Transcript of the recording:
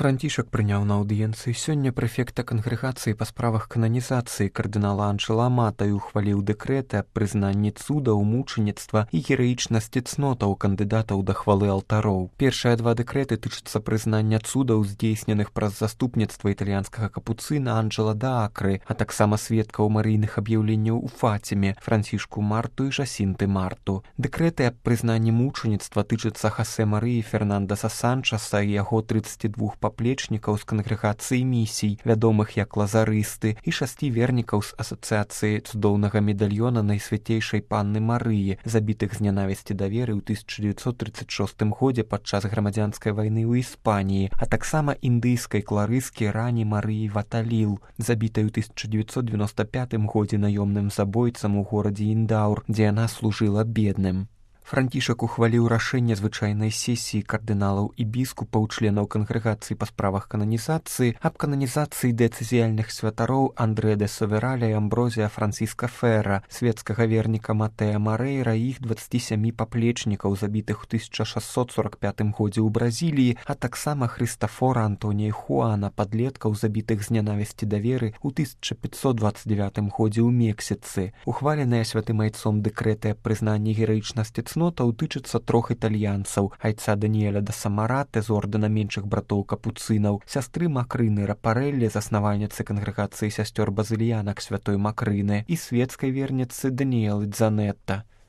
Францішак прыняў на аўдыенцыі сёння прэфекта кангрэгацыі па справах кананізацыі кардынала Анджэла Амата і ухваліў дэкрэты аб прызнанні цудаў, мучаніцтва і гераічнасці цнотаў кандыдатаў да хвалы алтароў. Першыя два дэкрэты тычацца прызнання цудаў, здзейсненых праз заступніцтва італьянскага капуцына Анджэла да Акры, а таксама сведкаў марыйных аб'яўленняў у Фаціме, Францішку Марту і Жасінты Марту. Дэкрэты аб прызнанні мучаніцтва тычацца Хосе Марыі Фернандаса Санчаса і яго 32 паплечнікаў з кангрэгацыі місій, вядомых як лазарысты, і 6 вернікаў з асацыяцыі цудоўнага медальёна Найсвяцейшай Панны Марыі, забітых з нянавісці да веры ў 1936 годзе падчас грамадзянскай вайны ў Іспаніі, а таксама індыйскай кларыскі Рані Марыі Ваталіл, забітай у 1995 годзе наёмным забойцам у горадзе Індаур, дзе яна служыла бедным. Францішак ухваліў рашэнне звычайнай сесіі кардыналаў і біскупаў, членаў кангрэгацыі па справах кананізацыі, аб кананізацыі дэцызіяльных святароў Андрэа де Совераля і Амброзія Франціска Фера, светскага верніка Матэа Марэйра і іх 27 паплечнікаў, забітых у 1645 годзе ў Бразіліі, а таксама Хрыстафора Антонія Хуана, падлеткаў, забітых з нянавісці да веры ў 1529 годзе ў Мексіцы. Ухваленыя святым айцом дэкрэты аб прызнанні гераічнасці цнотаў тычацца 3 італьянцаў: айца Даніэля да Самараты з ордэна меншых братоў капуцынаў, сястры Макрыны Рапарэллі, заснавальніцы кангрэгацыі сясцёр базыльянак святой Макрыны, і светскай верніцы Даніэлы Дзанетта.